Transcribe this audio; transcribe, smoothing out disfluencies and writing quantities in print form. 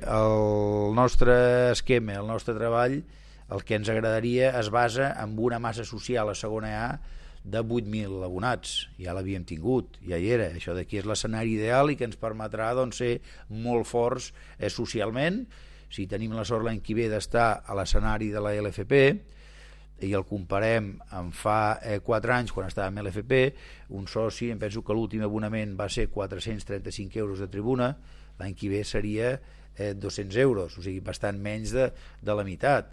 el nostre esquema, el nostre treball, el que ens agradaria es basa en una massa social a segona A de 8.000 abonats. Ja l'havíem tingut, ja hi era. Això d'aquí és l'escenari ideal i que ens permetrà doncs, ser molt forts socialment. Si tenim la sort l'any que ve d'estar a l'escenari de la LFP i el comparem amb fa 4 anys quan estàvem a l'LFP, un soci, em penso que l'últim abonament va ser 435 euros de tribuna, l'any que ve seria 200 euros, o sigui, bastant menys de la meitat.